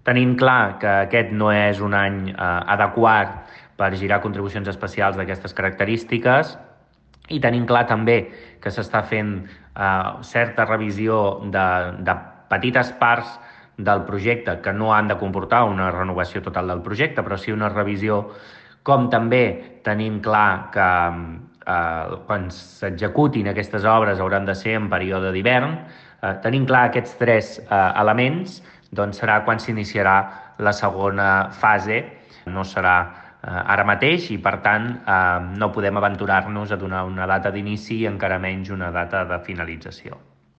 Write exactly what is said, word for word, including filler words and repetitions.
Tenint clar que aquest no és un any eh, adequat per girar contribucions especials d'aquestes característiques i tenint clar també que s'està fent eh, certa revisió de, de petites parts del projecte que no han de comportar una renovació total del projecte, però sí una revisió, com també tenim clar que eh, quan s'executin aquestes obres hauran de ser en període d'hivern. Eh, tenim clar aquests tres eh, elements, doncs serà quan s'iniciarà la segona fase. No serà eh, ara mateix i, per tant, eh, no podem aventurar-nos a donar una data d'inici i encara menys una data de finalització.